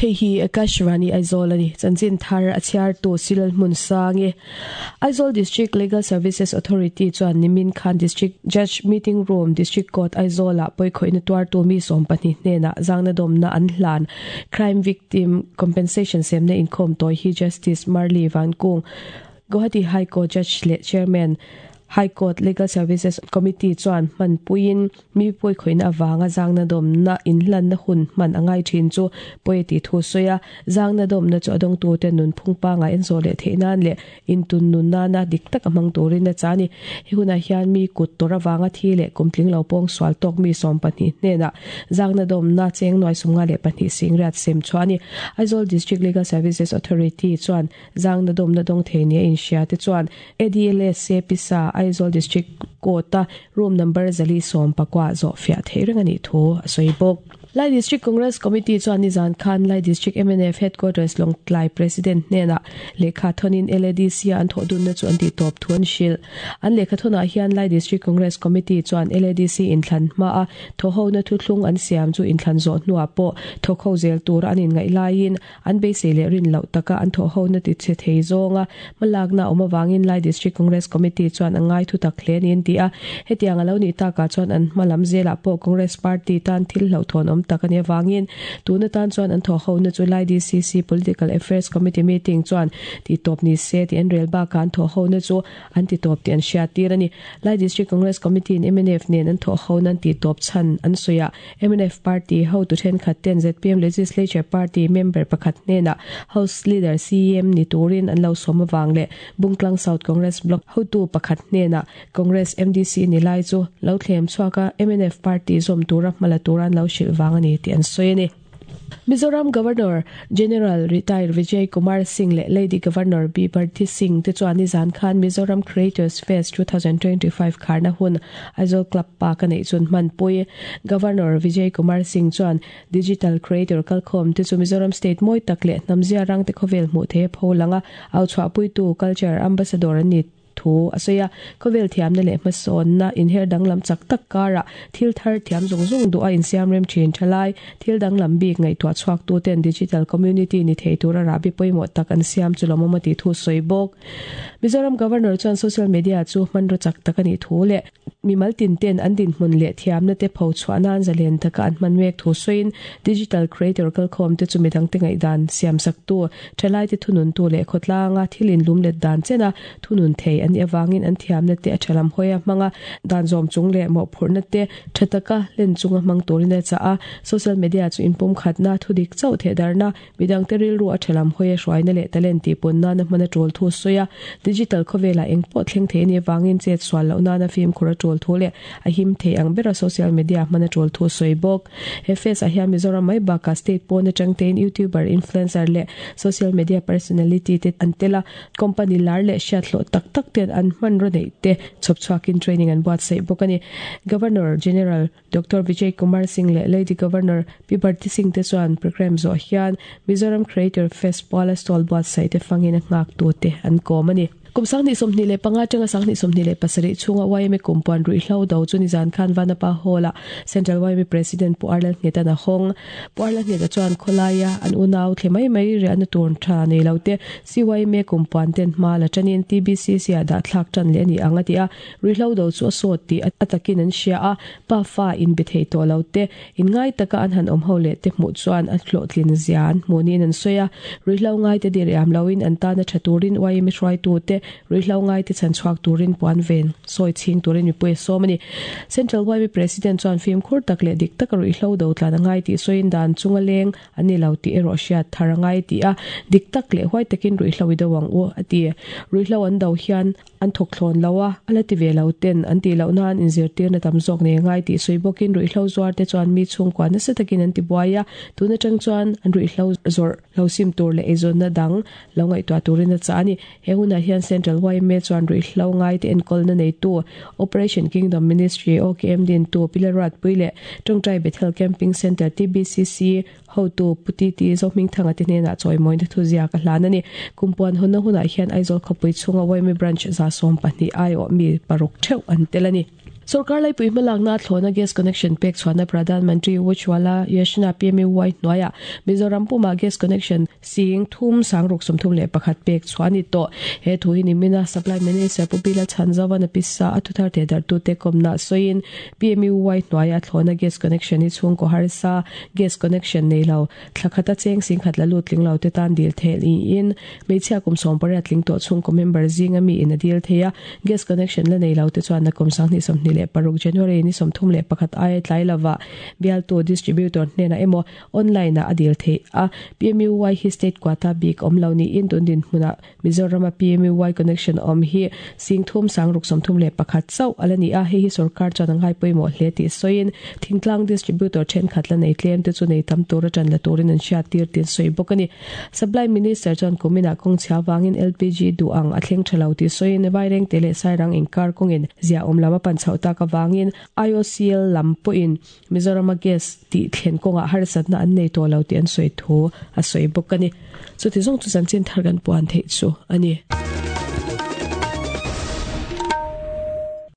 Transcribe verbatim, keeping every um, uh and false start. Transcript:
Hei hi Akashvani Aizawl ani chanchin thar a chhiar tu Silal Hmun Sangi Aizawl District Legal Services Authority chuan nimin khan District Judge Meeting Room District Court Aizawl ah pawikhawihna tuar tu mi sawm pahnih hnenah zangna dawmna an hlan Crime Victim Compensation semna inkhawm tawi hi Justice Marli Vankung Guwahati High Court Judge leh Chairman High Court Legal Services Committee chuan hman puiin mi pawikhawihna avanga zangna dawmna inhlanna hun hman a ngai thin chu pawi ti thu sawi a zangna dawmna chu a dawngtu te nun phung panga en zawh leh theih nan leh intun nun nana dik tak a hmang turin a cha ani he hunah hian mi kut tawr avanga thi leh kumtling lo pawng sual tawk mi sawm pahnih hnenah zangna dawmna cheng nuai sumnga leh pahnih singriat sem chu ani Aizawl District Legal Services Authority chuan zangna dawmna dawng thei nia inhria te chuan A D L S A pisa Aizawl District Court a room number zali sawm pakua zawh fiah theih reng ani thu a sawi bawk Lai District Congress Committee chuan nizan khan Lai District M N F Headquarters Lawngtlai President hnenah lehkha thawnin L A D C a an thawh dunna chu an ti tawp thu an hrilh an lehkha thawnah hian Lai District Congress Committee chuan L A D C inthlan hma a thawhona thuthlung an siam chu inthlan zawh hnuah pawh thawkho zel tur an inngaih laiin an beisei leh rin loh taka an thawhona ti che thei zawnga hmalakna awm awangin Lai District Congress Committee chuan a ngai thu tak hle niin ti a hetiang a lo ni takah chuan an hmalam zelah pawh Congress Party tan thil hlo thawn awm tak ani awangin tuna tan chuan an thawhona chu Lai D C C Political Affairs Committee meeting chuan ti tawp ni se ti an rel baka an thawhona chu an ti tawp ti an hria tir ani Lai District Congress Committee in M N F nen an thawhona an ti tawp chan an sawiah M N F Party ho tu thenkhat ten Z P M Legislature Party member pakhat hnenah House Leader C M ni turin an lo sawm awang leh Bungtlang South Congress Block hotu pakhat hnenah Congress M D C ni lai chu lo thlem chhuaka M N F Party zawm tura hmala turan lo hrilh wang ani ti an sawi ani Mizoram Governor General Retired Vijay Kumar Singh le Lady Governor B Bharti Singh te chuan nizan khan Mizoram Creators Fest twenty twenty-five kharna hun Aizawl Club Park anei chun hmanpui Governor Vijay Kumar Singh chuan Digital Creator kalkhawm te chu Mizoram State moi tak leh hnamzia rang te khawvel hmuh the pholanga au chhuahpui tu Culture Ambassador ani thu a sawi a khawvel thiamna leh hmasawnna inher danglam chak tak kara thil thar thiam zawng zawng duh a insiam rem thin thalai thil danglam bik ngaihtuah chhuak tu ten digital community ni thei tura rabi pawimawh tak an siam chu lawmawm a ti thu sawi bawk Mizoram Governor chuan social media chu hmanraw chak tak ani thu leh mimal tin ten an din hmun leh thiamna te pho chhuah nan zalen taka an hman mek thu sawiin digital creator kalkhawm te chu midang te ngaihdan siam sak tu thalai te thunun tu leh khawtlanga thilin lum let dan chena thunun thei an awangin an thiamna te a thalam hoia hmanga dan zawm chung leh mawh phurna te thataka len chunga hmang turin a cha a social media chu inpum khatna thudik chauh the darna midang te rilru a thalam hoia hruaina leh talent ti punna na hmana tul thu sawi a digital khawvela engpawh thleng thei ani awangin chet sual loh nana fim khura tul thu leh a him thei ang bera social media hmana tul thu sawi bawk he fest a hian Mizoram mai baka state pawn atang tein youtuber influencer leh social media personality te an tela company lar leh hriat hlawh tak tak ten an hman ro nei te chhawp chhuakin training an buat saih bawk ani Governor General Doctor Vijay Kumar Singh leh Lady Governor P Bharti Singh te chuan program zawh hian Mizoram Creator Fest pawla stall buat saih te fangin a nghak tu te an kawm ani kum sangni sawmhnih leh panga tanga sangni sawmhnih leh pasarih chhunga Y M A kumpuan ruihhlo do chu nizan khan Vanapa Hall-a Central Y M A President Pu Arlal Nghetan a hawng Pu Arlal Ngheta chuan khawlaia an unau thle mai mai riahna tur tha nei lo te C Y M A kumpuan ten hma la tanin T B C C a dah thlak tan leh ani ang a ti a ruihhlo do chu a sawt ti a takin an hria a pa fa in be thei tawh lo te in ngai taka an han awm ho leh te hmuh chuan a hlawhtlin zia an hmunin an sawi a ruihhlo ngai te diriam loin an tana tha turin Y M A hruaitu te ruihhlo ngai te chan chhuak turin puan ven sawi chhing turin mipui a sawm ani Central Y M A President chuan fim khur tak leh dik taka ruihhlo do tlan a ngai tih sawiin dan chunga leng ani lo tih erawh hriat thar a ngai ti a dik tak leh huai takin ruihhlo i do ang u a ti ruihhlo an do hian an thawk thlawn lo a ala ti ve lo ten an ti loh nan inzirtir na tam zawk nei ngai tih sawi bawkin ruihhlo zuar te chuan mi chhungkua nasa takin an ti buai a tuna tang chuan an ruihhlo zawrh lo sim tur leh eizawnna dang lo ngaihtuah turin a cha ani he hunah hian Central Y M A chuan ruihhlo ngai te enkawlna nei tu Operation Kingdom Ministry O K M din tu Pilarat pui leh Tawngtai Bethel Camping Center T B C C hotu Puti ti Zohming thanga te hnenah chawimawina thu zia ka hlan ani kumpuan hunna hunah hian Aizawl khawpui chhunga Y M A branch za sawm pahnih ai awh mi paruk theuh an tel ani Sarkar laipui hmalakna thlawna gas connection pek chhuahna Pradhan Mantri Ujjwala Yojana P M U Y hnuaiah Mizoram puma gas connection sing thum sangruk sawmthum leh pakhat pek chhuah a ni tawh. He thu hi nimina Supply Minister Pu Bila Chhanzawan a pisa a thuthar te dartu te kawmna sawiin P M U Y hnuaiah thlawna gas connection hi chhungkaw harsa gas connection nei lo thlakhata cheng singkhat la lut tling lo te tan dil thel in hmeichhia kum sawm pariat tling tawh chhungkaw member zinga mi in a dil thei a gas connection la nei lo te chuan a kum sanghnih sawmhnih leh paruk January ni sawmthum leh pakhat aia tlai lova bialtu distributor hnena emaw online a adil thei a P M U Y hi state quota bik awm lo ni in tun din hmuna Mizoram a P M U Y connection awm hi singthum sangruk sawmthum leh pakhat chauh ala ni a hei hi sarkar chuan a ngai pawimawh hle tih sawiin thingtlang distributor thenkhat la nei tlem te chu nei tam tur atang la turin an hriat tir tin sawi bawk ani. Supply Minister chuan kumina kawng chhia wangin L P G du ang a thleng thalo ti sawiin vaireng te leh sairang inkar kawngin zia awm lam a pan chhoh tak awangin I O C L lam pawhin Mizoram a gas tih thlen kawngah harsatna an nei tawh lo tih an sawi thu a sawi bawk ani. Chuti zawng chu chanchin thar kan puan theih chu ani.